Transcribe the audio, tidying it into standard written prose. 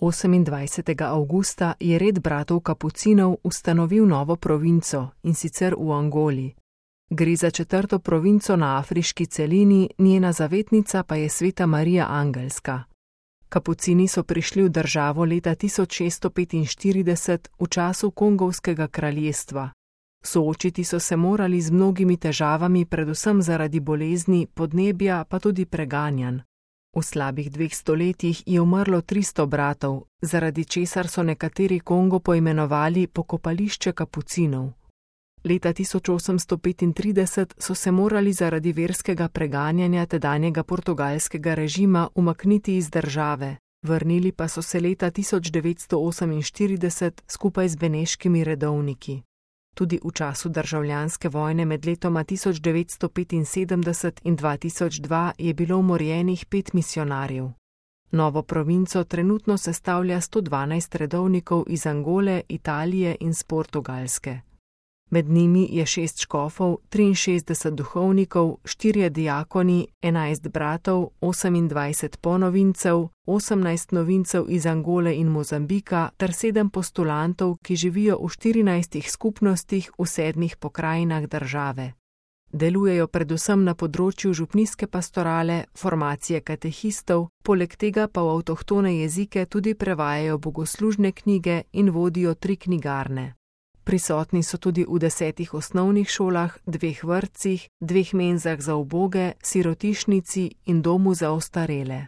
28. avgusta je red bratov Kapucinov ustanovil novo provinco, in sicer v Angoli. Gre za 4. provinco na afriški celini, njena zavetnica pa je sveta Marija Angelska. Kapucini so prišli v državo leta 1645 v času Kongovskega kraljestva. Soočiti so se morali z mnogimi težavami, predvsem zaradi bolezni, podnebja pa tudi preganjanj. V slabih 2 stoletjih je umrlo 300 bratov, zaradi česar so nekateri Kongo poimenovali pokopališče Kapucinov. Leta 1835 so se morali zaradi verskega preganjanja tedanjega portugalskega režima umakniti iz države, vrnili pa so se leta 1948 skupaj z beneškimi redovniki. Tudi v času državljanske vojne med letoma 1975 in 2002 je bilo umorjenih 5 misijonarjev. Novo provinco trenutno sestavlja 112 redovnikov iz Angole, Italije in z Portugalske. Med njimi je 6 škofov, 63 duhovnikov, 4 diakoni, 11 bratov, 28 ponovincev, 18 novincev iz Angole in Mozambika ter 7 postulantov, ki živijo v 14 skupnostih v 7 pokrajinah države. Delujejo predvsem na področju župnijske pastorale, formacije katehistov, poleg tega pa v avtohtone jezike tudi prevajajo bogoslužne knjige in vodijo 3 knjigarne. Prisotni so tudi v 10 osnovnih šolah, 2 vrtcih, 2 menzah za uboge, sirotišnici in domu za ostarele.